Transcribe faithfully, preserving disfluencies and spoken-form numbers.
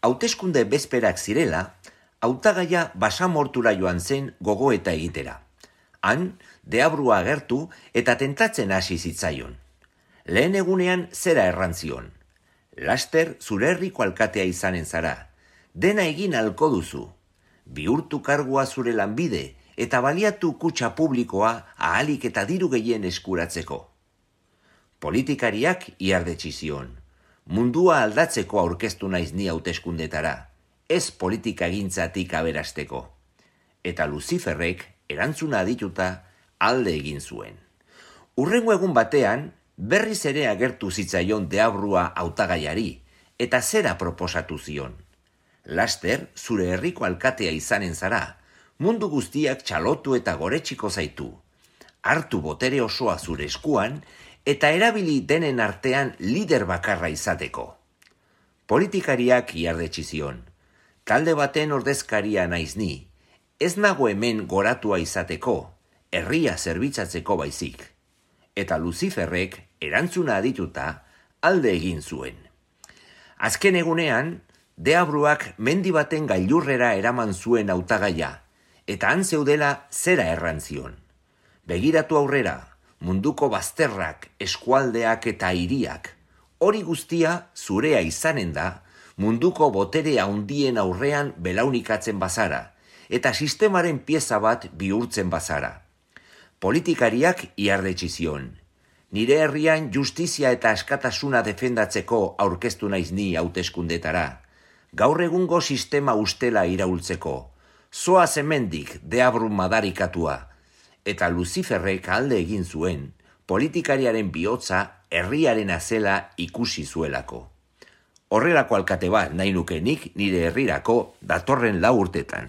Hauteskunde bezperak zirela, hautagaia basamortura joan zen gogoeta egitera. Han, deabrua agertu eta tentatzen hasi zitzaion. Lehen egunean zera errantzion. Laster zure herriko alkatea izanen zara. Dena egin halko duzu. Bihurtu kargua zure lanbide eta baliatu kutxa publikoa ahalik eta diru gehien eskuratzeko. Politikariak iardetsi zion. Mundua aldatzeko aurkeztu naiz ni hauteskundetara, ez politikagintzatik aberasteko. Eta Luziferrek erantzuna adituta alde egin zuen. Hurrengo egun batean, berriz ere agertu zitzaion deabrua hautagaiari, eta zera proposatu zion. Laster, zure herriko alkatea izanen zara, mundu guztiak txalotu eta goretxiko zaitu. Hartu botere osoa zure eskuan, eta erabili denen artean lider bakarra izateko. Politikariak iardetsi zion. Talde baten ordezkaria naiz ni, ez nago hemen goratua izateko, herria zerbitzatzeko baizik. Eta Luziferrek erantzuna adituta alde egin zuen. Azken egunean, deabruak mendi baten gailurrera eraman zuen hautagaia, eta han zeudela zera errantzion. Begiratu aurrera, munduko bazterrak, eskualdeak eta hiriak. Hori guztia zurea izanen da, munduko botere handien aurrean belaunikatzen bazara, eta sistemaren pieza bat bihurtzen bazara. Politikariak iardetsi zion. Nire herrian justizia eta askatasuna defendatzeko aurkeztu naiz ni hauteskundetara. Gaur egungo sistema ustela iraultzeko. Zoaz hemendik deabru madarikatua. Eta Luziferrek alde egin zuen, politikariaren bihotza herriarena zela ikusi zuelako. Horrelako alkate bat nahi nuke nik nire herrirako datorren lau urtetan.